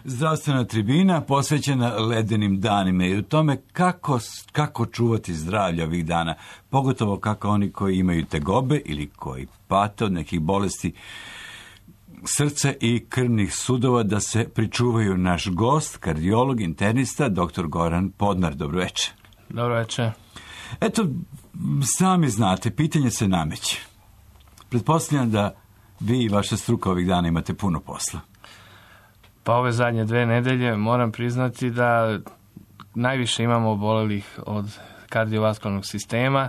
Zdravstvena tribina posvećena ledenim danima i u tome kako čuvati zdravlje ovih dana, pogotovo kako oni koji imaju tegobe ili koji pate od nekih bolesti srca i krvnih sudova da se pričuvaju. Naš gost, kardiolog, internista, dr. Goran Podnar. Dobro večer. Dobro večer. Eto, sami znate, pitanje se nameće. Pretpostavljam da vi i vaša struka ovih dana imate puno posla. Pa ove zadnje 2 nedelje moram priznati da najviše imamo obolelih od kardiovaskularnog sistema,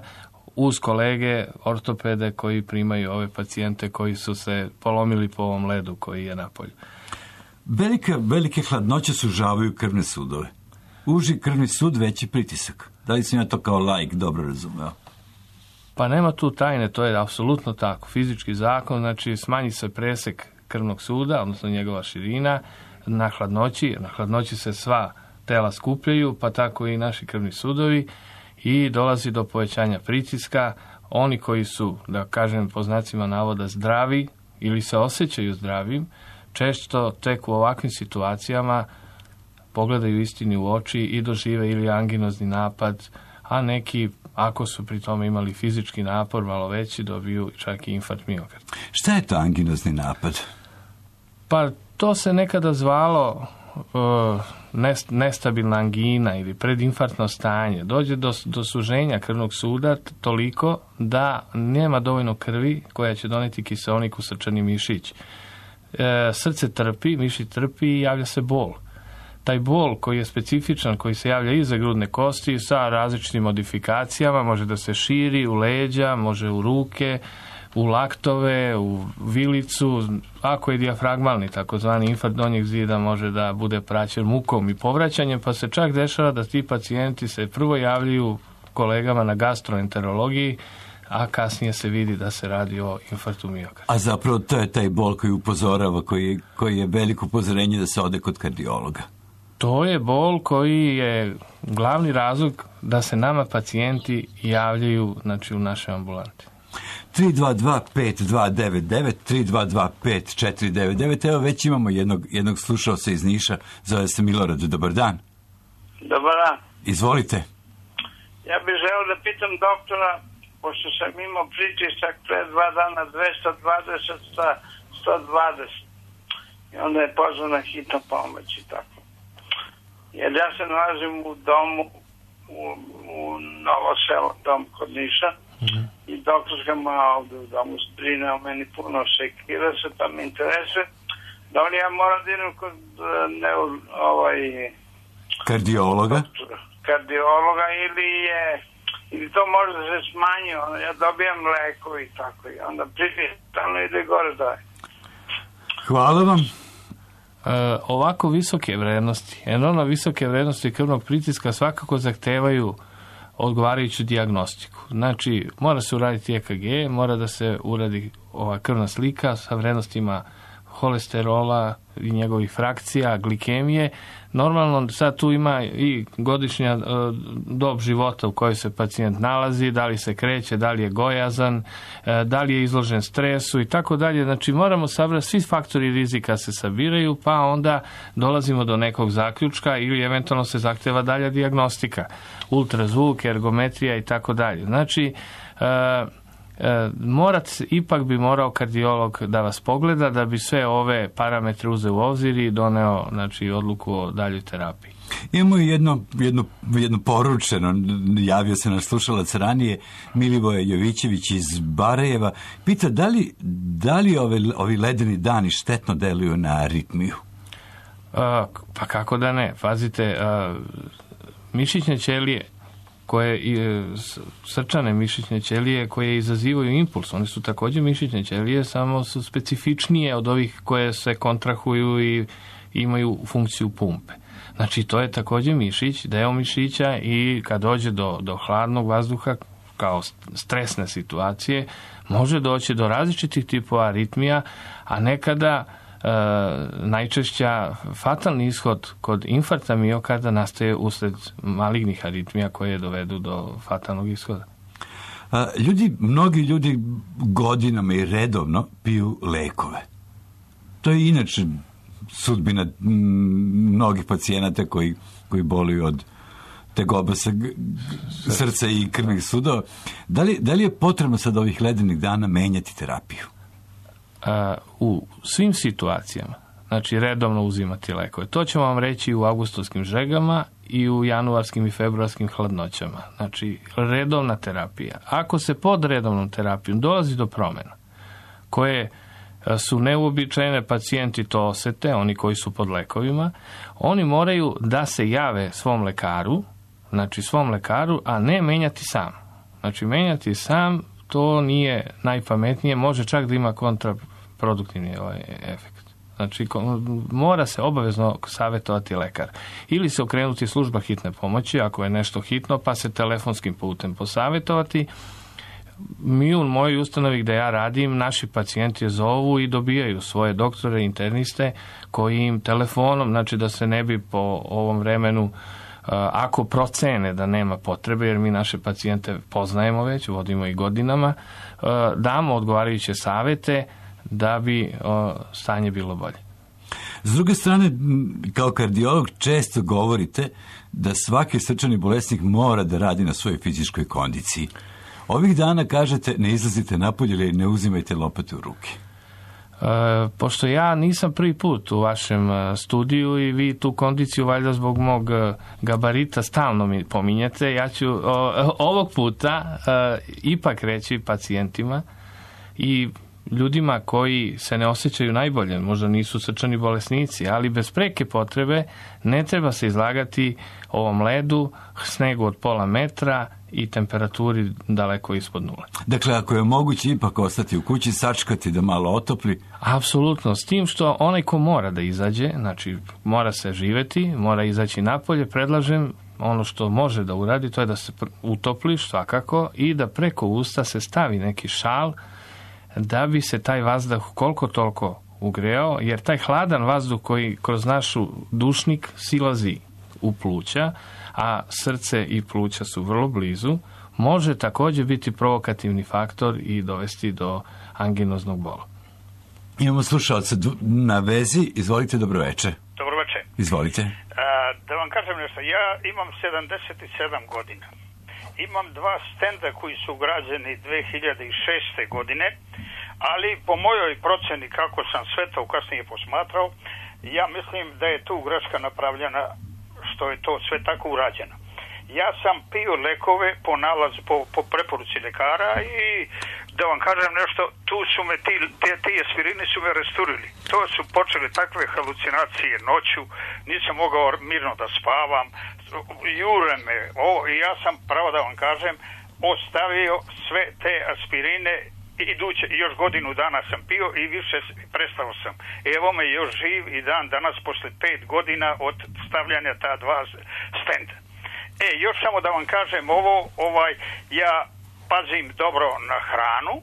uz kolege ortopede koji primaju ove pacijente koji su se polomili po ovom ledu koji je napolju. Velike hladnoće sužavaju krvne sudove. Uži krvni sud, veći pritisak. Da li sam ja to kao laik dobro razumeo? Pa nema tu tajne, to je apsolutno tako. Fizički zakon, znači smanji se presek krvnog suda, odnosno njegova širina, na hladnoći. Na hladnoći se sva tela skupljaju, pa tako i naši krvni sudovi, i dolazi do povećanja pritiska. Oni koji su, da kažem po znacima navoda, zdravi ili se osjećaju zdravim, često tek u ovakvim situacijama pogledaju istini u oči i dožive ili anginozni napad, a neki, ako su pri tome imali fizički napor malo veći, dobiju čak i infarkt miokarda. Šta je to anginozni napad? Pa to se nekada zvalo nestabilna angina ili predinfarktno stanje. Dođe do suženja krvnog suda toliko da nema dovoljno krvi koja će doneti kiseonik u srčani mišić. Srce trpi, mišić trpi i javlja se bol. Taj bol koji je specifičan, koji se javlja iza grudne kosti sa različitim modifikacijama, može da se širi u leđa, može u ruke, u laktove, u vilicu. Ako je dijafragmalni, takozvani infarkt donjeg zida, može da bude praćen mukom i povraćanjem, pa se čak dešava da ti pacijenti se prvo javljaju kolegama na gastroenterologiji, a kasnije se vidi da se radi o infarktu miokarda. A zapravo to je taj bol koji upozorava, koji je veliko upozorenje da se ode kod kardiologa. To je bol koji je glavni razlog da se nama pacijenti javljaju, znači, u našoj ambulanti. 322-5299, 322-5499. Evo već imamo jednog slušalca iz Niša, zove se Milorad. Dobar dan. Dobar dan. Izvolite. Ja bih želeo da pitam doktora, pošto sam imao pritisak pre 2 dana 220 sa 120. I onda je pozvana hitna pomoć i tako. Jer ja se nalazim u domu, u Novo Selo, dom kod Niša, i doktorska moja ovdje u domu brine o meni, puno sekira se, pa mi interesuje da li ja moram da idem kod kardiologa ili to može da se smanji, ja dobijam leko i tako, i onda pritistalno ide gore dalje. Hvala vam. Ovako visoke vrednosti, enormno visoke vrednosti krvnog pritiska svakako zahtevaju odgovarajuću dijagnostiku. Znači, mora se uraditi EKG, mora da se uradi ova krvna slika sa vrednostima holesterola i njegovih frakcija, glikemije. Normalno, sad tu ima i godišnja dob života u kojoj se pacijent nalazi, da li se kreće, da li je gojazan, da li je izložen stresu i tako dalje. Znači, moramo sabrati, svi faktori rizika se sabiraju, pa onda dolazimo do nekog zaključka ili eventualno se zahteva dalja dijagnostika, ultrazvuk, ergometrija i tako dalje. Znači, ipak bi morao kardiolog da vas pogleda da bi sve ove parametre uzeo u obzir i doneo, znači, odluku o daljoj terapiji. Imamo jedno poručeno, javio se naš slušalac ranije, Milivoje Jovićević iz Barajeva, pita da li ovi ledeni dani štetno deluju na aritmiju? Pa kako da ne, pazite, mišićne ćelije srčane mišićne ćelije koje izazivaju impuls, one su također mišićne ćelije, samo su specifičnije od ovih koje se kontrahuju i imaju funkciju pumpe. Znači, to je također mišić, deo mišića, i kad dođe do hladnog vazduha kao stresne situacije, može doći do različitih tipova aritmija, a nekada najčešća fatalni ishod kod infarkta miokarda nastaje usled malignih aritmija koje dovedu do fatalnog ishoda. Mnogi ljudi godinama i redovno piju lekove. To je inače sudbina mnogih pacijenata koji boluju od tegoba srca i krvnih sudova. Da li je potrebno sad ovih ledenih dana menjati terapiju? U svim situacijama, znači redovno uzimati lekove. To ćemo vam reći u avgustovskim žegama i u januarskim i februarskim hladnoćama. Znači, redovna terapija. Ako se pod redovnom terapijom dolazi do promjena koje su neuobičajene, pacijenti to osete, oni koji su pod lekovima, oni moraju da se jave svom lekaru, a ne menjati sam. Znači, menjati sam, to nije najpametnije, može čak da ima kontraproduktivni efekt. Znači, mora se obavezno savjetovati lekar. Ili se okrenuti služba hitne pomoći, ako je nešto hitno, pa se telefonskim putem posavjetovati. Mi u mojoj ustanovi gde ja radim, naši pacijenti je zovu i dobijaju svoje doktore, interniste, koji im telefonom, znači da se ne bi po ovom vremenu, ako procene da nema potrebe, jer mi naše pacijente poznajemo već, vodimo i godinama, damo odgovarajuće savjete da bi stanje bilo bolje. S druge strane, kao kardiolog često govorite da svaki srčani bolesnik mora da radi na svojoj fizičkoj kondiciji. Ovih dana kažete ne izlazite napolje ili ne uzimajte lopate u ruke. Pošto ja nisam prvi put u vašem studiju i vi tu kondiciju valjda zbog mog gabarita stalno mi pominjete, ja ću ovog puta ipak reći pacijentima i ljudima koji se ne osjećaju najbolje, možda nisu srčani bolesnici, ali bez preke potrebe ne treba se izlagati ovom ledu, snegu od pola metra i temperaturi daleko ispod nule. Dakle, ako je moguće ipak ostati u kući, sačekati da malo otopli? Apsolutno, s tim što onaj ko mora da izađe, znači mora se živeti, mora izaći napolje, predlažem ono što može da uradi, to je da se utopli svakako i da preko usta se stavi neki šal da bi se taj vazduh koliko toliko ugreo, jer taj hladan vazduh koji kroz našu dušnik silazi u pluća, a srce i pluća su vrlo blizu, može također biti provokativni faktor i dovesti do anginoznog bola. Imamo slušalca na vezi. Izvolite, dobroveče. Dobroveče. Izvolite. Da vam kažem nešto, ja imam 77 godina. Imam 2 stenda koji su ugrađeni 2006. godine, ali po mojoj proceni, kako sam sve to kasnije posmatrao, ja mislim da je tu greška napravljena što je to sve tako urađeno. Ja sam pio lekove po preporuci ljekara i da vam kažem nešto, tu su me ti aspirini su me rasturili. To su počele takve halucinacije noću, nisam mogao mirno da spavam, jure me, i ja sam, pravo da vam kažem, ostavio sve te aspirine iduće, još godinu dana sam pio i više prestao sam. Evo me još živ i dan danas posle 5 godina od stavljanja ta 2 stenda. Još samo da vam kažem ja pazim dobro na hranu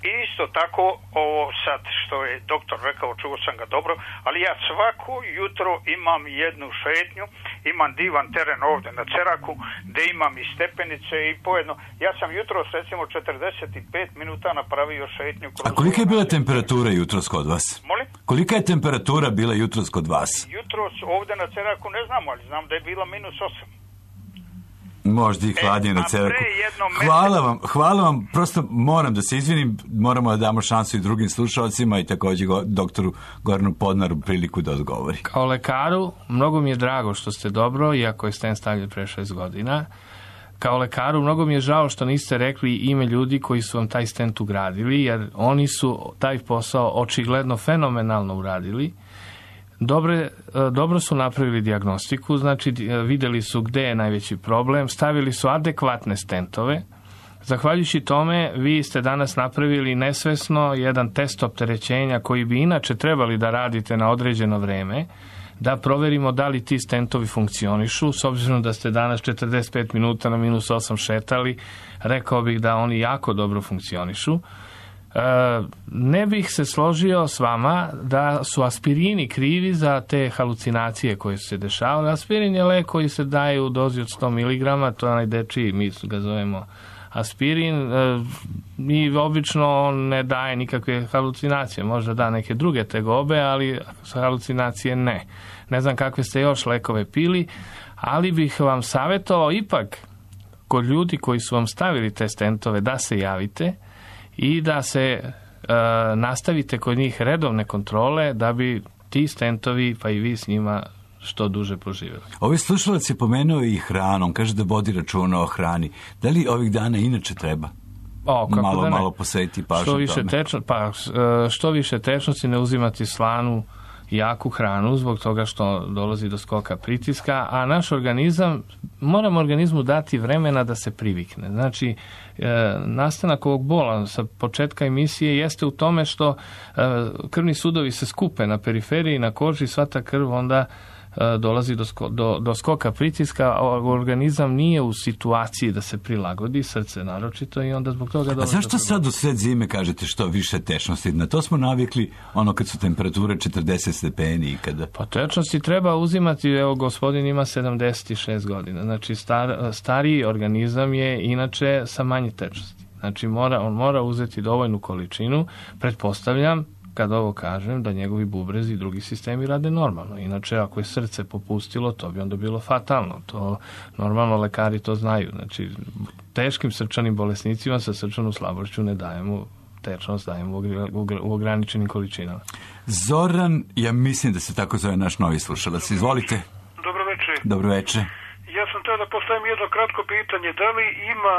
i isto tako ovo sad što je doktor rekao, čuo sam ga dobro, ali ja svako jutro imam jednu šetnju, imam divan teren ovdje na Ceraku gdje imam i stepenice i pojedno. Ja sam jutros recimo 45 minuta napravio šetnju. A kolika je bila temperatura jutros kod vas? Molim? Kolika je temperatura bila jutros kod vas? Jutros ovdje na Ceraku ne znam, ali znam da je bila -8. Možda i hladnije na Ceraku. Hvala vam, prosto moram da se izvinim, moramo da damo šansu i drugim slušalcima i također doktoru Goranu Podnaru priliku da odgovori. Kao lekaru, mnogo mi je drago što ste dobro, iako je stent stavljen pre 6 godina. Kao lekaru, mnogo mi je žao što niste rekli ime ljudi koji su vam taj stent ugradili, jer oni su taj posao očigledno fenomenalno uradili. Dobro su napravili dijagnostiku, znači vidjeli su gde je najveći problem, stavili su adekvatne stentove. Zahvaljujući tome, vi ste danas napravili nesvesno jedan test opterećenja koji bi inače trebali da radite na određeno vreme, da proverimo da li ti stentovi funkcionišu. S obzirom da ste danas 45 minuta na -8 šetali, rekao bih da oni jako dobro funkcionišu. Ne bih se složio s vama da su aspirini krivi za te halucinacije koje su se dešavale. Aspirin je lek koji se daje u dozi od 100 mg, to je onaj dečiji, mi ga zovemo aspirin i obično on ne daje nikakve halucinacije, možda da neke druge tegobe, ali halucinacije ne. Ne znam kakve ste još lekove pili, ali bih vam savjetovao ipak kod ljudi koji su vam stavili te stentove da se javite i da se nastavite kod njih redovne kontrole da bi ti stentovi, pa i vi s njima, što duže poživjeli. Ovaj slušalac je pomenuo i hranom, kaže da vodi računa o hrani. Da li ovih dana inače treba malo posvetiti pažnju tome? Što više tečnosti, ne uzimati slanu, jaku hranu, zbog toga što dolazi do skoka pritiska, a naš organizam, moramo organizmu dati vremena da se privikne. Znači, nastanak ovog bola sa početka emisije jeste u tome što krvni sudovi se skupe na periferiji, na koži, sva ta krv onda dolazi do skoka pritiska, a organizam nije u situaciji da se prilagodi, srce naročito, i onda zbog toga dolazi. A zašto sad u sred zime kažete što više tečnosti? Na to smo navikli kad su temperature 40 stepeni i kada... Pa tečnosti treba uzimati, evo gospodin ima 76 godina, znači stariji organizam je inače sa manje tečnosti. Znači on mora uzeti dovoljnu količinu, pretpostavljam, kad ovo kažem, da njegovi bubrezi i drugi sistemi rade normalno. Inače, ako je srce popustilo, to bi onda bilo fatalno. To normalno lekari to znaju. Znači, teškim srčanim bolesnicima sa srčanom slabošću ne dajemo tečnost, dajemo u ograničenim količinama. Zoran, ja mislim da se tako zove naš novi slušalac. Izvolite. Dobro večer. Dobro večer. Ja sam htio da postavim jedno kratko pitanje. Da li ima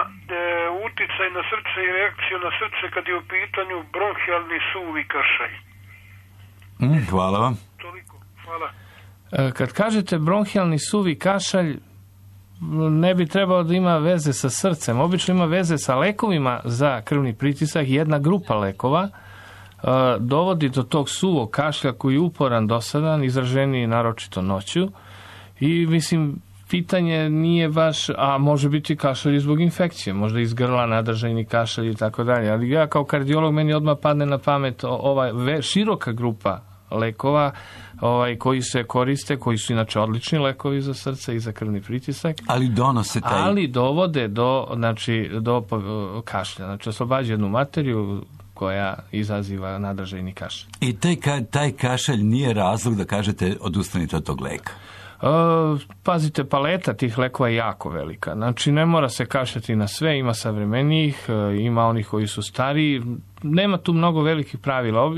uticaj na srce i reakciju na srce kad je u pitanju bronhijalni suvi kašalj? Hvala vam. Toliko. Hvala. Kad kažete bronhijalni suvi kašalj, ne bi trebalo da ima veze sa srcem. Obično ima veze sa lekovima za krvni pritisak. Jedna grupa lekova dovodi do tog suvog kašlja koji je uporan, dosadan, izraženiji naročito noću. I mislim, pitanje nije baš, a može biti kašalj zbog infekcije, možda iz grla, nadržajni kašalj i tako dalje. Ali ja kao kardiolog, meni odmah padne na pamet ova široka grupa lekova koji se koriste, koji su inače odlični lekovi za srce i za krvni pritisak. Ali donose taj... Ali dovode do kašlja. Znači, oslobađa jednu materiju koja izaziva nadržajni kašalj. I taj kašalj nije razlog da kažete odustanite od tog leka? Pazite, paleta tih lekova je jako velika. Znači, ne mora se kašljati na sve, ima savremenijih, ima onih koji su stariji, nema tu mnogo velikih pravila.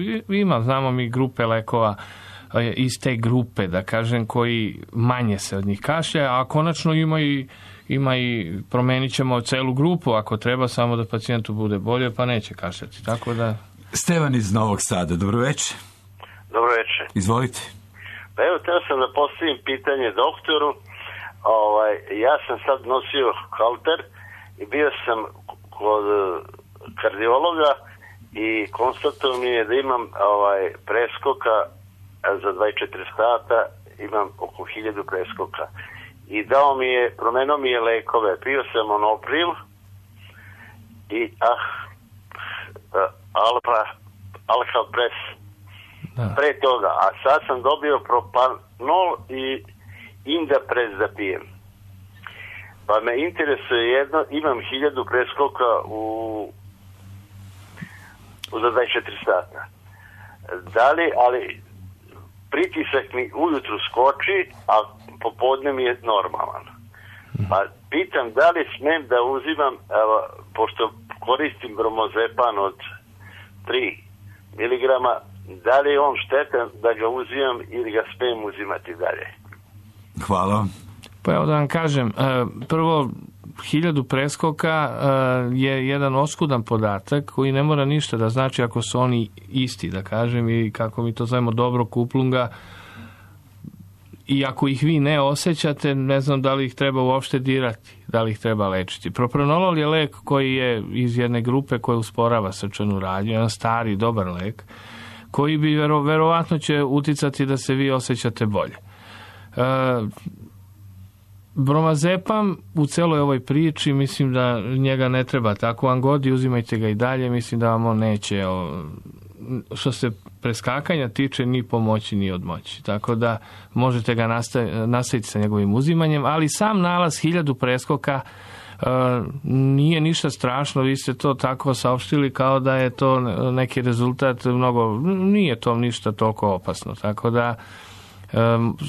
Znamo mi grupe lekova iz te grupe, da kažem, koji manje se od njih kašlja, a konačno ima i promenit ćemo celu grupu, ako treba, samo da pacijentu bude bolje, pa neće kašljati. Tako da... Stevan iz Novog Sada, dobro večer. Dobro večer. Izvolite. Pa evo, teo sam da postavim pitanje doktoru. Ja sam sad nosio halter i bio sam kod kardiologa i konstatovao mi je da imam preskoka za 24 sata, imam oko 1000 preskoka. I promenio mi je lekove. Pio sam Monopril i Alcapres. Pre toga, a sad sam dobio Propanol i Indapres da pijem. Pa me interesuje jedno, imam 1000 preskoka za 24 sata. Ali pritisak mi ujutru skoči, a popodne mi je normalan. Pa pitam da li smem da uzimam, pošto koristim bromozepam od 3 miligrama, da li je on štetan da ga uzimam ili ga smijem uzimati dalje? Hvala. Pa evo da vam kažem, prvo 1000 preskoka je jedan oskudan podatak koji ne mora ništa da znači ako su oni isti, da kažem, i kako mi to zovemo dobro kuplunga, i ako ih vi ne osjećate, ne znam da li ih treba uopšte dirati, da li ih treba lečiti. Propranolol je lek koji je iz jedne grupe koja usporava srčanu radnju, jedan stari, dobar lek, koji bi verovatno će uticati da se vi osjećate bolje. Bromazepam u celoj ovoj priči, mislim da njega ne treba tako angodi, uzimajte ga i dalje, mislim da vam on neće, što se preskakanja tiče, ni pomoći ni odmoći. Tako da možete ga nastaviti sa njegovim uzimanjem, ali sam nalaz 1000 preskoka nije ništa strašno, vi ste to tako saopštili kao da je to neki rezultat mnogo, nije to ništa toliko opasno, tako da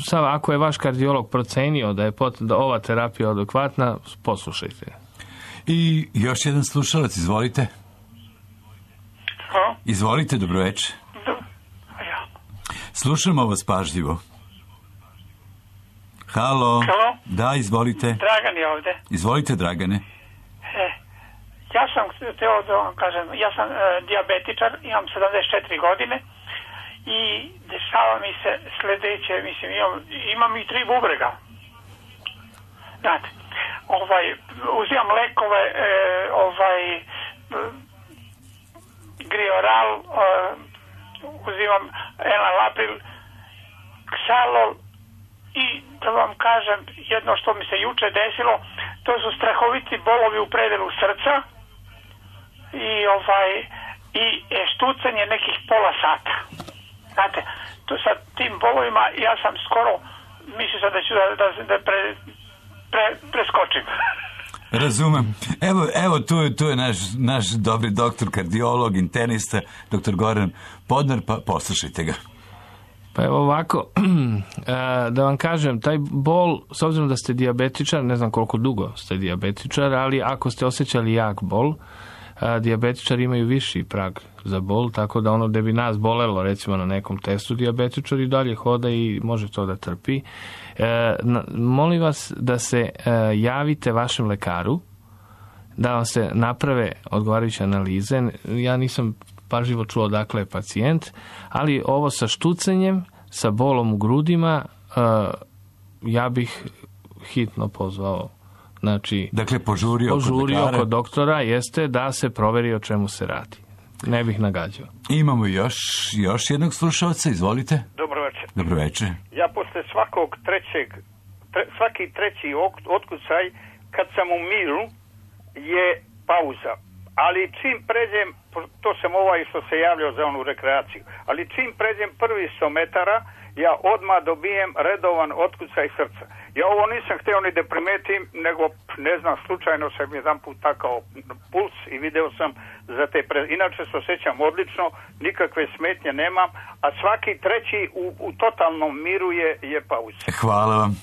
sad ako je vaš kardiolog procenio da je da ova terapija adekvatna, poslušajte. I još jedan slušalac, izvolite. Halo? Izvolite, dobroveče. Slušamo vas pažljivo. Halo? Halo? Da, izvolite. Dragan je ovde. Izvolite, Dragane. Ja sam hteo da vam kažem, ja sam dijabetičar, imam 74 godine i dešava mi se sledeće, mislim, imam i 3 bubrega. Znate, uzimam lekove, Grioral, uzimam Enalapril, Xalol i da vam kažem jedno što mi se juče desilo, to su strahoviti bolovi u predelu srca i štucanje nekih pola sata. Znate, to sa tim bolovima ja sam skoro mislio sam da ću da preskočim. Razumem. Evo tu je naš dobri doktor, kardiolog, internista, doktor Goran Podnar, pa poslušajte ga. Pa evo ovako, da vam kažem, taj bol, s obzirom da ste dijabetičar, ne znam koliko dugo ste dijabetičar, ali ako ste osjećali jak bol, dijabetičari imaju viši prag za bol, tako da ono da bi nas bolelo, recimo na nekom testu, dijabetičar i dalje hoda i može to da trpi. Molim vas da se javite vašem lekaru, da vam se naprave odgovarajuće analize. Ja nisam pažljivo čuo odakle je pacijent, ali ovo sa štucanjem, sa bolom u grudima, ja bih hitno pozvao. Znači, dakle, požurio kod doktora jeste da se proveri o čemu se radi. Ne bih nagađao. Imamo još jednog slušalca, izvolite. Dobro večer. Ja posle svaki treći otkucaj, kad sam u miru, je pauza. Ali čim pređem, to sam što se javljao za onu rekreaciju, ali čim pređem prvi 100 metara, ja odmah dobijem redovan otkucaj srca. Ja ovo nisam htio ni da primetim, nego, ne znam, slučajno sam jedan put takao puls i video sam za te inače se osjećam odlično, nikakve smetnje nemam, a svaki treći u totalnom miru je pauza. Hvala vam.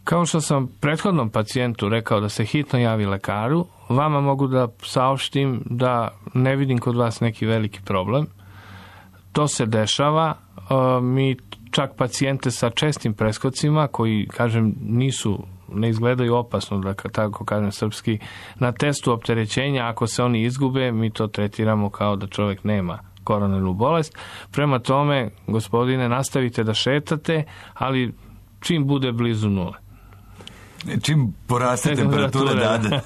Kao što sam prethodnom pacijentu rekao da se hitno javi lekaru, vama mogu da saopštim da ne vidim kod vas neki veliki problem. To se dešava. Mi čak pacijente sa čestim preskocima koji, kažem, ne izgledaju opasno, da tako kažem srpski, na testu opterećenja, ako se oni izgube, mi to tretiramo kao da čovjek nema koronarnu bolest. Prema tome, gospodine, nastavite da šetate, ali čim bude blizu nule. Čim poraste temperatura, da.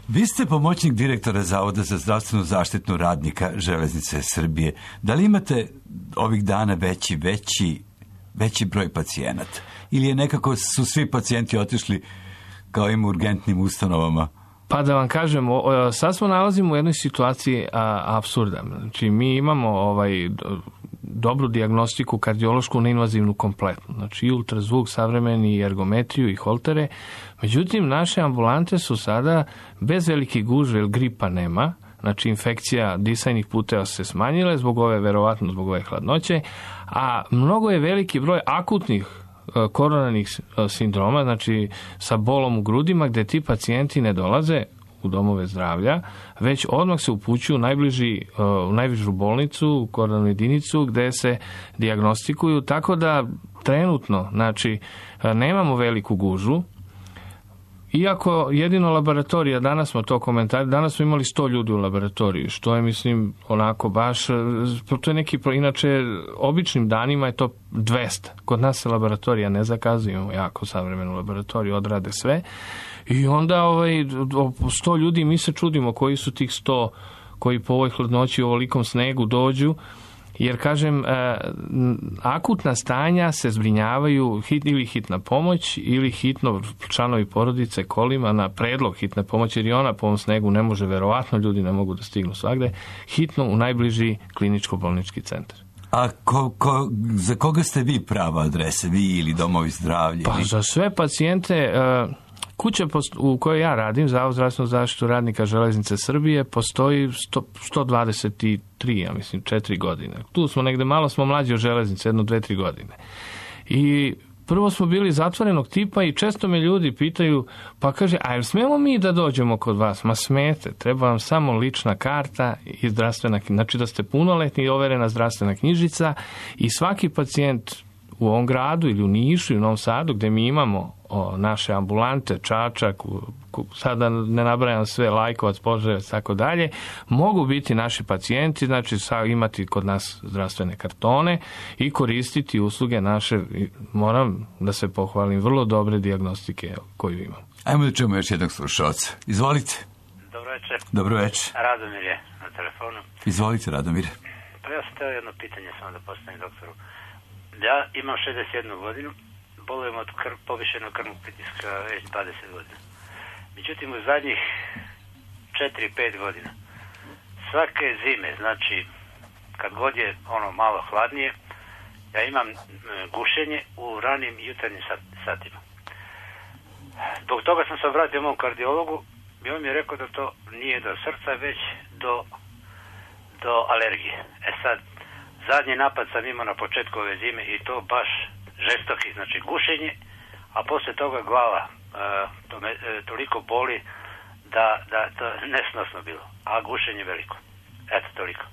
Vi ste pomoćnik direktora Zavoda za zdravstvenu zaštitu radnika Železnice Srbije. Da li imate ovih dana veći broj pacijenata? Ili je nekako su svi pacijenti otišli kao im urgentnim ustanovama? Pa da vam kažem, sad smo nalazimo u jednoj situaciji apsurda. Znači, mi imamo dobru dijagnostiku kardiološku neinvazivnu kompletnu. Znači i ultrazvuk savremeni, i ergometriju, i holtere. Međutim, naše ambulante su sada bez velike gužve, jer gripa nema. Znači, infekcija disajnih puteva se smanjile verovatno zbog ove hladnoće, a mnogo je veliki broj akutnih koronarnih sindroma, znači sa bolom u grudima, gde ti pacijenti ne dolaze u domove zdravlja, već odmah se upućuju u najbližu bolnicu, u koronarnu jedinicu, gde se dijagnostikuju, tako da trenutno, znači, nemamo veliku gužvu, iako jedino laboratorija, danas smo to komentarili, danas smo imali 100 ljudi u laboratoriji, što je, mislim, onako baš, to je neki, inače, običnim danima je to 200. Kod nas se laboratorija ne zakazuje, imamo jako savremenu laboratoriju, odrade sve. I onda 100 ljudi, mi se čudimo koji su tih 100 koji po ovoj hladnoći u ovolikom snegu dođu, jer, kažem, akutna stanja se zbrinjavaju ili hitna pomoć ili hitno članovi porodice kolima na predlog hitne pomoći, jer i ona po ovom snegu ne može, verovatno ljudi ne mogu da stignu svagde, hitno u najbliži kliničko-bolnički centar. A za koga ste vi prava adrese, vi ili domovi zdravlja? Pa za sve pacijente Kuća u kojoj ja radim, Zavod zdravstvenu zaštitu radnika Železnice Srbije, postoji 123, ja mislim, 4 godine. Tu smo negde, malo smo mlađi od železnice, 1-2-3 godine. I prvo smo bili zatvorenog tipa i često me ljudi pitaju, pa kaže, a jel smemo mi da dođemo kod vas? Ma smete, treba vam samo lična karta i zdravstvena knjižica. Znači da ste punoletni i overena zdravstvena knjižica i svaki pacijent u ovom gradu ili u Nišu i u Novom Sadu gde mi imamo naše ambulante, Čačak, sada ne nabrajam sve, Lajkovac, Požarevac, tako dalje, mogu biti naši pacijenti, znači imati kod nas zdravstvene kartone i koristiti usluge naše, moram da se pohvalim, vrlo dobre dijagnostike koju imam. Ajmo da čujemo još jednog slušalca. Izvolite. Dobro večer. Dobro večer. Radomir je na telefonu. Izvolite, Radomir. Pa ja sam teo jedno pitanje samo da postavim doktoru. Ja imam 61 godinu, bolujem od povišenog krvnog pritiska već 20 godina. Međutim, u zadnjih 4-5 godina, svake zime, znači kad god je malo hladnije, ja imam gušenje u ranim jutarnjim satima. Zbog toga sam se obratio mom kardiologu i on mi je rekao da to nije do srca, već do alergije. Sad, zadnji napad sam imao na početku ove zime i to baš žestoki, znači gušenje, a poslije toga glava to me toliko boli da to nesnosno bilo, a gušenje veliko. Eto, toliko.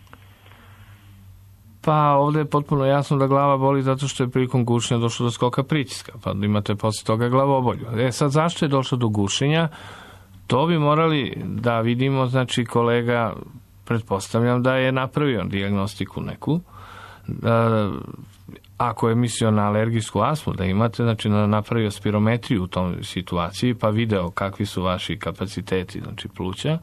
Pa ovdje je potpuno jasno da glava boli zato što je prilikom gušenja došlo do skoka pritiska, pa imate poslije toga glavobolju. Sad zašto je došlo do gušenja? To bi morali da vidimo, znači kolega, pretpostavljam da je napravio dijagnostiku neku, ako je mislio na alergijsku astmu da imate, znači napravio spirometriju u tom situaciji pa video kakvi su vaši kapaciteti, znači pluća.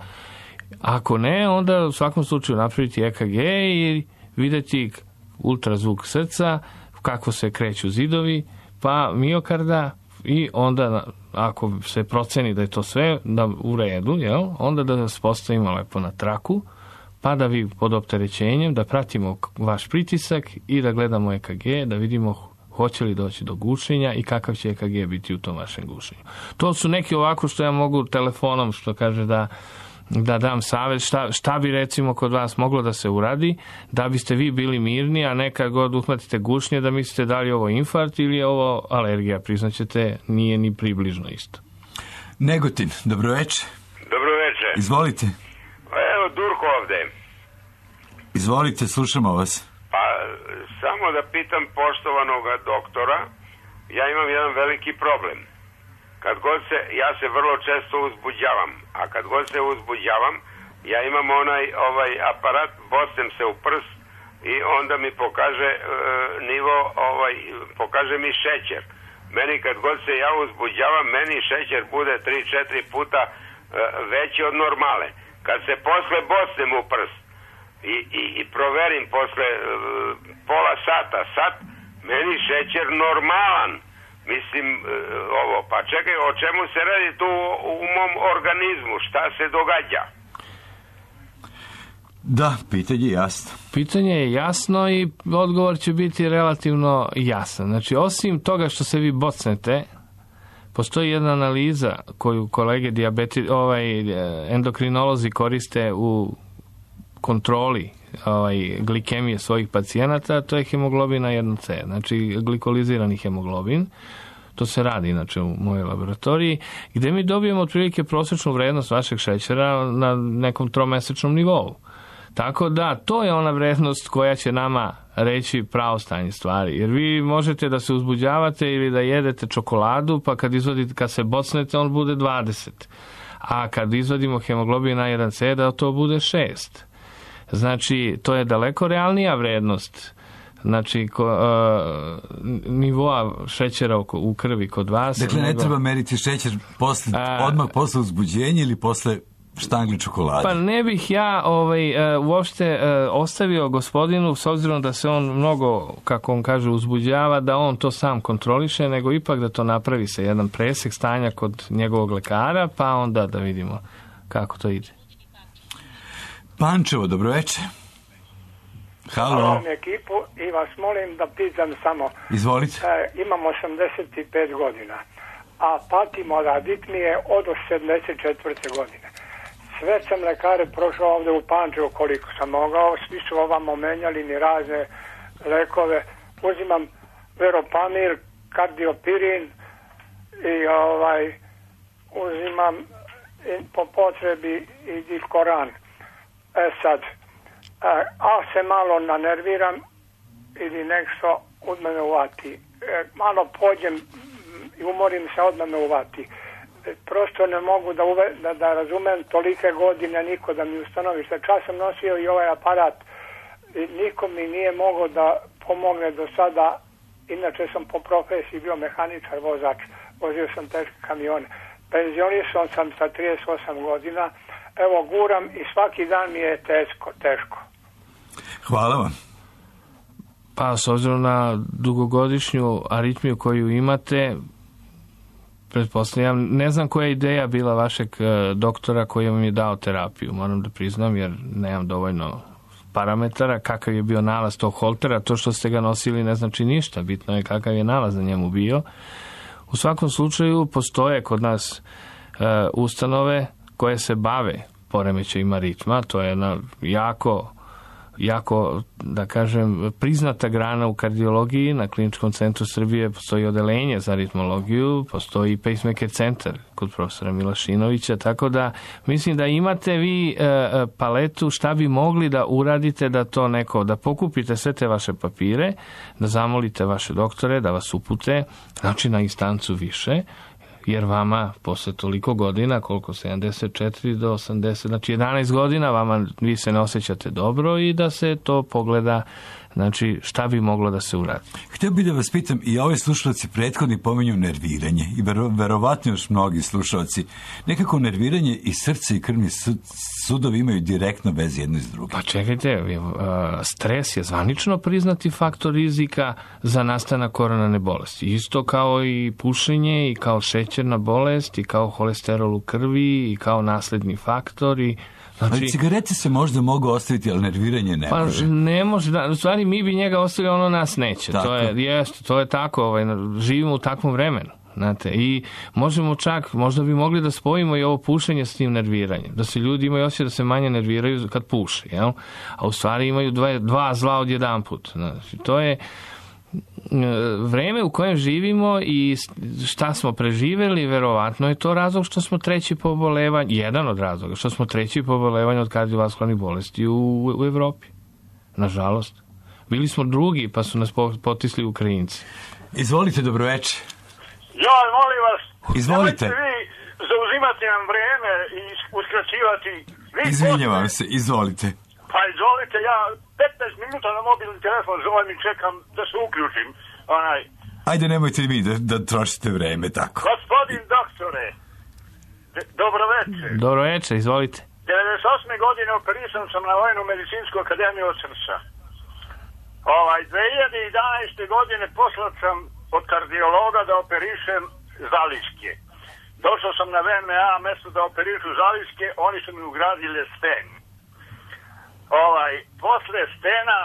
Ako ne, onda u svakom slučaju napraviti EKG i vidjeti ultrazvuk srca, kako se kreću zidovi, pa miokarda i onda ako se proceni da je to sve u redu, onda da nas postavimo lepo na traku, pa da vi pod opterećenjem, da pratimo vaš pritisak i da gledamo EKG, da vidimo hoće li doći do gušenja i kakav će EKG biti u tom vašem gušenju. To su neki ovako što ja mogu telefonom, što kaže da dam savjet, šta bi recimo kod vas moglo da se uradi, da biste vi bili mirni, a nekad god uhvatite gušnje da mislite da li je ovo infarkt ili je ovo alergija. Priznaćete, nije ni približno isto. Negotin, dobro večer. Dobro večer. Izvolite. Evo, Durko ovde. Izvolite, slušamo vas. Pa, samo da pitam poštovanoga doktora, ja imam jedan veliki problem. Kad god ja se vrlo često uzbuđavam, a kad god se uzbuđavam, ja imam ovaj aparat, bocnem se u prst i onda mi pokaže nivo, pokaže mi šećer. Meni kad god se ja uzbuđavam, meni šećer bude 3-4 puta veći od normale. Kad se posle bocnem u prst i proverim posle pola sat, meni šećer normalan. Mislim, pa čekaj, o čemu se radi tu u mom organizmu? Šta se događa? Da, pitanje je jasno. Pitanje je jasno i odgovor će biti relativno jasan. Znači, osim toga što se vi bocnete, postoji jedna analiza koju kolege endokrinolozi koriste u kontroli glikemije svojih pacijenata, to je hemoglobin A1C, znači glikolizirani hemoglobin. To se radi inače u mojoj laboratoriji, gde mi dobijemo otprilike prosječnu vrednost vašeg šećera na nekom 3-mesečnom nivou. Tako da, to je ona vrednost koja će nama reći pravo stanje stvari. Jer vi možete da se uzbuđavate ili da jedete čokoladu, pa kad se bocnete, on bude 20. A kad izvadimo hemoglobin A1C, da to bude 6. Znači, to je daleko realnija vrednost. Znači, nivoa šećera u krvi kod vas. Dakle, ne treba meriti šećer odmah posle uzbuđenja ili posle štangli čokolade. Pa ne bih ja uopšte ostavio gospodinu, s obzirom da se on mnogo, kako on kaže, uzbuđava, da on to sam kontroliše, nego ipak da to napravi sa jedan presek stanja kod njegovog lekara, pa onda da vidimo kako to ide. Pančevo, dobro večer. Halo. Hvala ekipu i vas molim da pitam samo. Izvolite. Imam 85 godina, a patim od aritmije od 74. godine. Sve sam lekare prošao ovde u Pančevu koliko sam mogao, svi su ovamo menjali ni razne lekove. Uzimam Veropamir, Kardiopirin i uzimam po potrebi i Dilkoran. Sad, a se malo nanerviram ili nešto od mene uvati. Malo pođem i umorim se, odmah me uvati. Prosto ne mogu da razumem tolike godine niko da mi ustanovi. Šta čas sam nosio i ovaj aparat i niko mi nije mogao da pomogne do sada. Inače sam po profesiji bio mehaničar, vozač. Vozio sam teške kamione. Penzionisao sam sa 38 godina. Evo, guram i svaki dan mi je teško. Hvala vam. Pa, s obzirom na dugogodišnju aritmiju koju imate, pretpostavljam, ne znam koja je ideja bila vašeg doktora koji vam je dao terapiju, moram da priznam, jer nemam dovoljno parametara, kakav je bio nalaz tog holtera, to što ste ga nosili ne znači ništa, bitno je kakav je nalaz na njemu bio. U svakom slučaju postoje kod nas ustanove koje se bave poremećajima ritma, to je jedna jako, da kažem, priznata grana u kardiologiji. Na Kliničkom centru Srbije postoji odelenje za ritmologiju, postoji i pacemaker centar kod profesora Milašinovića, tako da mislim da imate vi paletu šta bi mogli da uradite da to neko, da pokupite sve te vaše papire, da zamolite vaše doktore da vas upute, znači na instancu više, jer vama posle toliko godina, koliko 74 do 80, znači 11 godina, vama vi se ne osjećate dobro i da se to pogleda, znači šta bi moglo da se uradi. Htio bih da vas pitam, i ovi slušalci prethodni pominju nerviranje i verovatno još mnogi slušalci, nekako nerviranje i srce i krvni sudovi imaju direktno veze jedno iz drugim. Pa čekajte, stres je zvanično priznati faktor rizika za nastanak koronarne bolesti. Isto kao i pušenje, i kao šećerna bolest, i kao holesterol u krvi, i kao nasledni faktor. Znači, ali cigarete se možda mogu ostaviti, ali nerviranje ne može. Pa ne može, da, u stvari mi bi njega ostavili, ono nas neće. To je tako, živimo u takvom vremenu. Znate, i možemo čak, možda bi mogli da spojimo i ovo pušenje s tim nerviranjem, da se ljudi imaju osjećaj da se manje nerviraju kad puše, jel? A u stvari imaju dva zla odjedanput. Znači, to je vreme u kojem živimo i šta smo preživeli, verovatno je to razlog što smo treći po obolevanju, jedan od razloga, što smo treći po obolevanju od kardiovaskularnih bolesti u Evropi. Nažalost. Bili smo drugi, pa su nas potisli Ukrajinci. Izvolite, dobroveče. Ja, molim vas, izvolite. Nemojte vi zauzimati nam vreme i uskraćivati. Izvinjavam se, izvolite. Pa izvolite, ja 15 minuta na mobilni telefon zovem i čekam da se uključim. Ajde, nemojte vi da trošite vreme tako. Gospodin doktore, dobroveče. Dobroveče, izvolite. 98. godine operisan sam na Vojnu medicinsku akademiju od srca. 2011. godine poslao sam od kardiologa da operišem zaliske. Došao sam na VMA, mesto da operišu zaliske, oni su mi ugradili sten. Posle stena,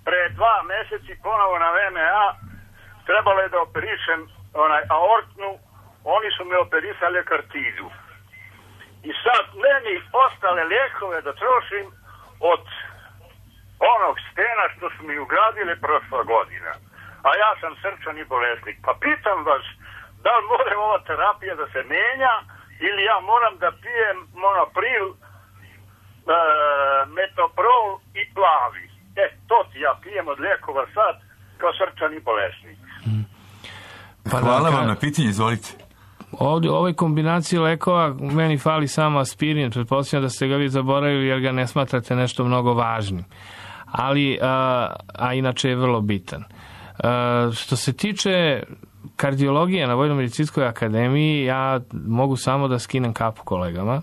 pre 2 meseci ponovo na VMA, trebalo je da operišem aortnu, oni su me operisali kartizu. I sad meni ostale lijekove da trošim od onog stena što su mi ugradili prošla godina. A ja sam srčani bolesnik. Pa pitam vas, da li mora ova terapija da se menja ili ja moram da pijem monopril, metoprol i plavi. To ti ja pijem od lijekova sad kao srčani bolesnik. Hvala vam na pitanje, izvolite. Ovdje u ovoj kombinaciji lekova meni fali samo aspirin, pretpostavljam da ste ga vi zaboravili jer ga ne smatrate nešto mnogo važnim. Ali, a inače je vrlo bitan. Što se tiče kardiologije na Vojno-medicinskoj akademiji, ja mogu samo da skinem kapu kolegama.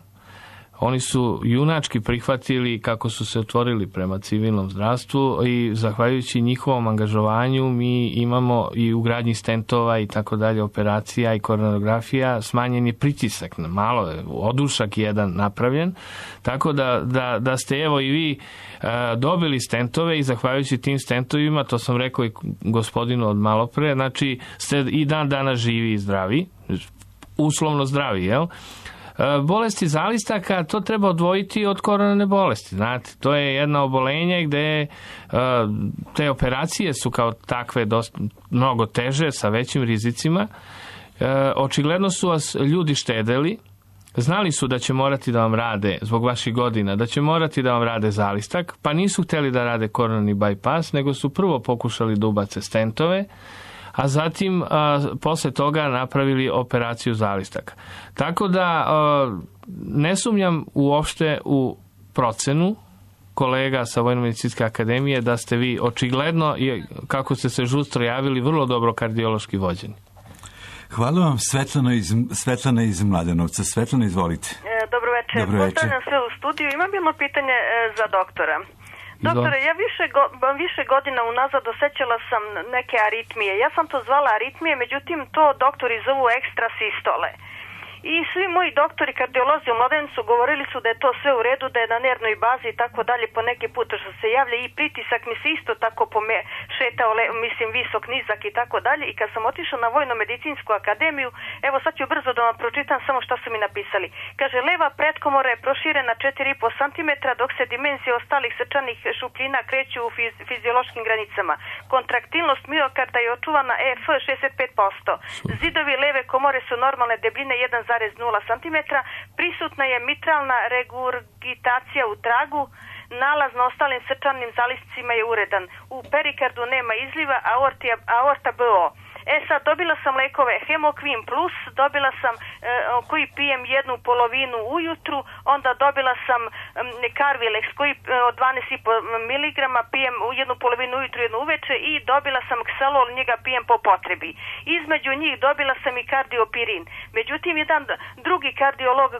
oni su junački prihvatili kako su se otvorili prema civilnom zdravstvu i zahvaljujući njihovom angažovanju mi imamo i ugradnji stentova i tako dalje, operacija i koronografija, smanjen je pritisak, malo je odušak jedan napravljen, tako da ste evo i vi dobili stentove i zahvaljujući tim stentovima, to sam rekao i gospodinu od malopre, znači ste i dan danas živi i zdravi, uslovno zdravi, jel? Bolesti zalistaka, to treba odvojiti od koronarne bolesti. Znate, to je jedno obolenje gde te operacije su kao takve mnogo teže, sa većim rizicima. Očigledno su vas ljudi štedeli, znali su da će morati da vam rade, zbog vaših godina, da će morati da vam rade zalistak, pa nisu hteli da rade koronarni bypass, nego su prvo pokušali da ubace stentove, a zatim posle toga napravili operaciju zalistaka. Tako da ne sumnjam uopšte u procenu kolega sa Vojno-medicinske akademije da ste vi očigledno, kako ste se žustro javili, vrlo dobro kardiološki vođeni. Hvala vam, Svetlana iz Mladenovca. Svetlana, izvolite. Dobro večer. Pozdravljam sve u studiju. Imam jedno pitanje za doktora. Doktore, ja više godina unazad osjećala sam neke aritmije. Ja sam to zvala aritmije, međutim to doktori zovu ekstra sistole. I svi moji doktori kardiolozi u Mladenovcu govorili su da je to sve u redu, da je na nervnoj bazi i tako dalje, po neki put što se javlja i pritisak mi se isto tako šetao, mislim visok, nizak i tako dalje. I kad sam otišla na Vojno-medicinsku akademiju, evo sad ću brzo da vam pročitam samo što su mi napisali. Kaže, leva pretkomora je proširena 4,5 cm, dok se dimenzije ostalih srčanih šupljina kreću u fiziološkim granicama. Kontraktilnost miokarda je očuvana EF 65%. Zidovi leve komore su normalne debljine 1,0 cm, prisutna je mitralna regurgitacija u tragu, nalaz na ostalim srčanim zaliscima je uredan. U perikardu nema izliva, aorta BO. Sad dobila sam lekove Hemokvin Plus, dobila sam koji pijem jednu polovinu ujutru, onda dobila sam Carvilex koji od 12,5 mg pijem jednu polovinu ujutru, jednu uveče i dobila sam Xalol, njega pijem po potrebi. Između njih dobila sam i kardiopirin. Međutim, jedan drugi kardiolog,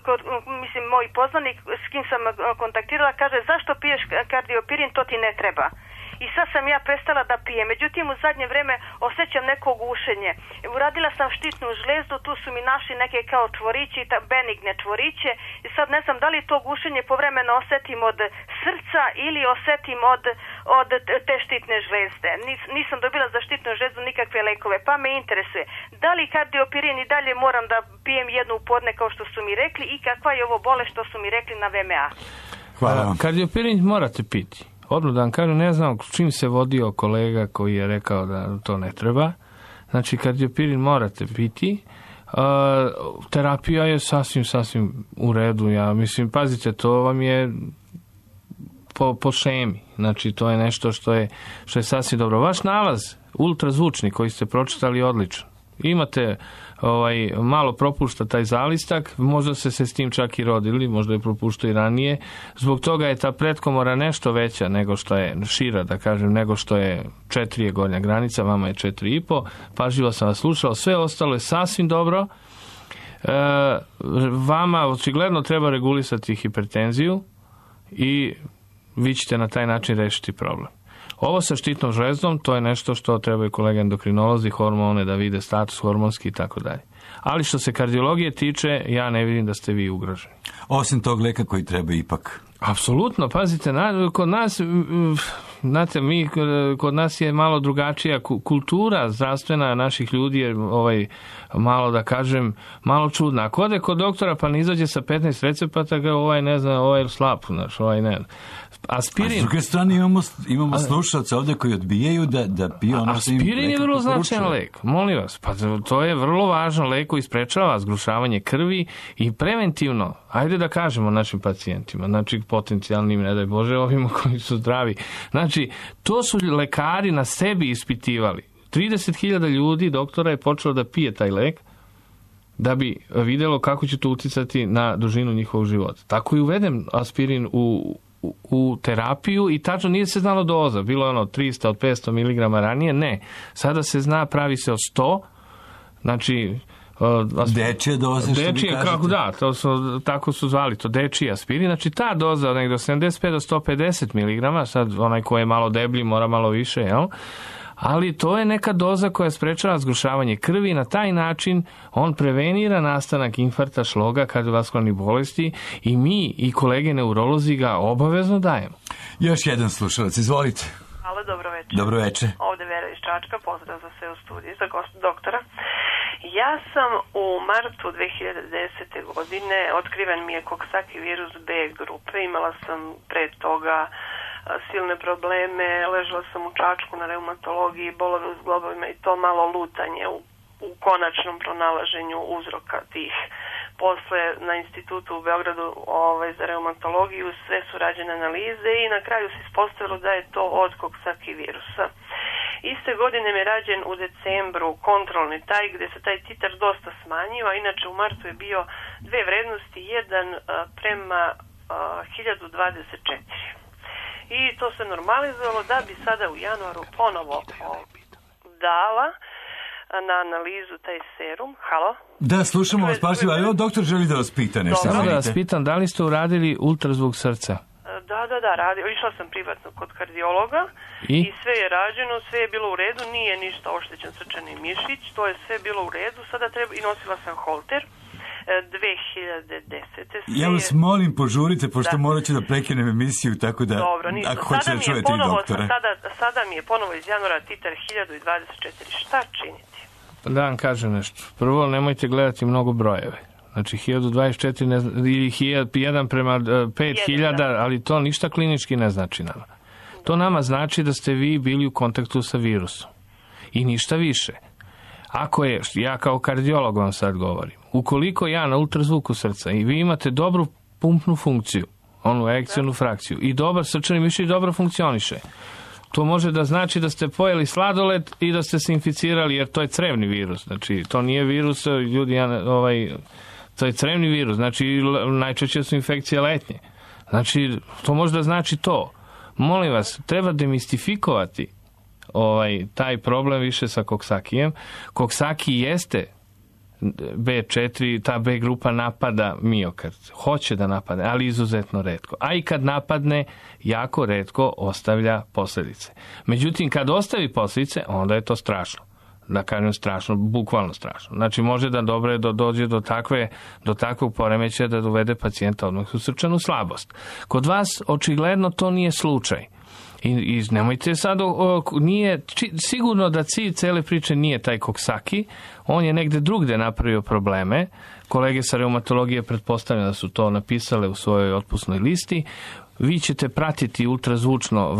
mislim moj poznanik s kim sam kontaktirala, kaže zašto piješ kardiopirin, to ti ne treba. I sad sam ja prestala da pijem. Međutim, u zadnje vreme osjećam neko gušenje. Uradila sam štitnu žlezdu, tu su mi našli neke kao čvorići, benigne čvoriće. I sad ne znam da li to gušenje povremeno osjetim od srca ili osjetim od te štitne žlezde. Nisam dobila za štitnu žlezdu nikakve lekove, pa me interesuje. Da li kardiopirin i dalje moram da pijem jednu u podne kao što su mi rekli i kakva je ovo bolest što su mi rekli na VMA? Hvala vam. Kardiopirin morate piti. Odmah da vam kažem, ne znam čim se vodio kolega koji je rekao da to ne treba. Znači, kardiopirin morate piti. Terapija je sasvim u redu. Ja mislim, pazite, to vam je po šemi. Znači, to je nešto što je sasvim dobro. Vaš nalaz, ultrazvučni, koji ste pročitali, odličan. Imate malo propušta taj zalistak, možda se s tim čak i rodili, možda je propuštao i ranije. Zbog toga je ta pretkomora nešto veća nego što je šira, da kažem, nego što je 4 je gornja granica, vama je 4,5. Pažljivo sam vas slušao, sve ostalo je sasvim dobro. Vama očigledno treba regulisati hipertenziju i vi ćete na taj način rešiti problem. Ovo sa štitnom žlezdom, to je nešto što trebaju kolege endokrinolozi, hormone da vide status hormonski i tako dalje. Ali što se kardiologije tiče, ja ne vidim da ste vi ugroženi. Osim tog leka koji treba ipak. Apsolutno, pazite, kod nas, znate, kod nas je malo drugačija kultura zdravstvena naših ljudi je malo da kažem, malo čudna. Ako ode kod doktora pa ne izađe sa 15 recepata, ne znam, je slab, znaš, ne. Aspirin. A s druge strane imamo slušalce ovdje koji odbijaju da piju ono što im aspirin je vrlo značajan lek, molim vas, pa to je vrlo važan lek koji sprečava zgrušavanje krvi i preventivno, ajde da kažemo našim pacijentima, znači potencijalnim, ne daj Bože, ovima koji su zdravi. Znači, to su lekari na sebi ispitivali. 30.000 ljudi, doktora, je počelo da pije taj lek da bi vidjelo kako će to uticati na dužinu njihovog života. Tako i uveden aspirin u terapiju i tačno nije se znalo doza. Bilo je 300 od 500 mg ranije, ne. Sada se zna, pravi se od 100, znači Dečije doze, što vi kažete? Da, tako su zvali to, dečiji aspirin. Znači ta doza od nekdo 75 do 150 mg, sad onaj ko je malo deblji mora malo više, jel? Ali to je neka doza koja sprečava zgrušavanje krvi i na taj način on prevenira nastanak infarkta, šloga, kardiovaskularnih bolesti i mi i kolege neurolozi ga obavezno dajemo. Još jedan slušalac, izvolite. Halo, dobro večer. Dobro večer. Ovde Vera iz Čačka, pozdrav za sve u studiju, za doktora. Ja sam u martu 2010. godine, otkriven mi je Coxsackie virus B grupe, imala sam pre toga silne probleme, ležala sam u Čačku na reumatologiji, bolove u zglobovima i to malo lutanje u konačnom pronalaženju uzroka tih. Posle na institutu u Beogradu za reumatologiju sve su rađene analize i na kraju se ispostavilo da je to od Coxsackie virusa. Iste godine mi je rađen u decembru kontrolni taj gde se taj titar dosta smanjio, a inače u martu je bio dve vrednosti, 1 prema 1024. I to se normalizovalo da bi sada u januaru ponovo dala na analizu taj serum. Halo? Da, slušamo vas pažljivo, ali doktor želi da vas pita nešto. Samo da vas pitam, da li ste uradili ultrazvuk srca? Da, radio. Išla sam privatno kod kardiologa i sve je rađeno, sve je bilo u redu, nije ništa oštećen srčani mišić, to je sve bilo u redu, sada treba, i nosila sam holter 2010. Ja vas molim, požurite, pošto morat ću da prekinem emisiju, tako da, dobro, ako hoćete da čujete i doktora. Sada mi je ponovo iz januara titar 1024. Šta činiti? Da vam kažem nešto. Prvo, nemojte gledati mnogo brojeve. Znači 1024 ili 1 prema 5000, ali to ništa klinički ne znači nama. To nama znači da ste vi bili u kontaktu sa virusom. I ništa više. Ako je, ja kao kardiolog vam sad govorim, ukoliko ja na ultrazvuku srca i vi imate dobru pumpnu funkciju, onu erekcionu frakciju, i dobar srčani mišić dobro funkcioniše, to može da znači da ste pojeli sladoled i da ste se inficirali, jer to je crevni virus. Znači, to nije virus, ljudi, to je crevni virus, znači najčešće su infekcije letnje. Znači, to može da znači to. Molim vas, treba demistifikovati taj problem više sa Coxsackiem. Coxsackie jeste B4, ta B grupa napada miokard. Hoće da napadne, ali izuzetno retko. A i kad napadne, jako retko ostavlja posljedice. Međutim, kad ostavi posljedice, onda je to strašno. Da kažem strašno, bukvalno strašno. Znači, može da dođe do takvog poremećaja da dovede pacijenta odmah u srčanu slabost. Kod vas, očigledno, to nije slučaj. I nemojte sad, nije sigurno da cilj cele priče nije taj Coxsackie, on je negde drugde napravio probleme. Kolege sa reumatologije pretpostavljam da su to napisale u svojoj otpusnoj listi. Vi ćete pratiti ultrazvučno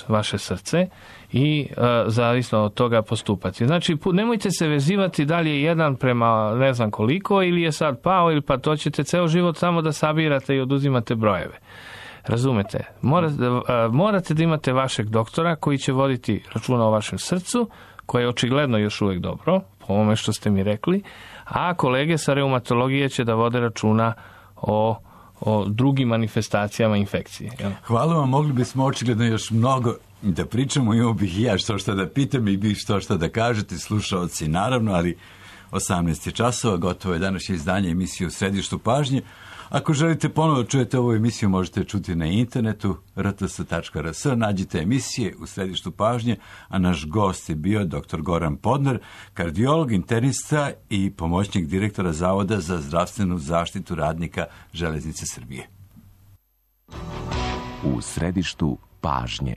vaše srce i zavisno od toga postupati. Znači, nemojte se vezivati da li je 1 prema ne znam koliko ili je sad pao, ili pa to ćete ceo život samo da sabirate i oduzimate brojeve. Razumete? Morate da imate vašeg doktora koji će voditi računa o vašem srcu, koje je očigledno još uvijek dobro, po ovome što ste mi rekli, a kolege sa reumatologije će da vode računa o drugim manifestacijama infekcije. Jel? Hvala vam, mogli bismo očigledno još mnogo da pričamo, imao bih i ja što da pitam i bih što da kažete, slušaoci naravno, ali 18 časova, gotovo je današnje izdanje emisije U središtu pažnje. Ako želite ponovo čujete ovu emisiju, možete čuti na internetu rts.rs, nađite emisije U središtu pažnje, a naš gost je bio dr. Goran Podnar, kardiolog, internista i pomoćnik direktora Zavoda za zdravstvenu zaštitu radnika Železnice Srbije. U središtu pažnje.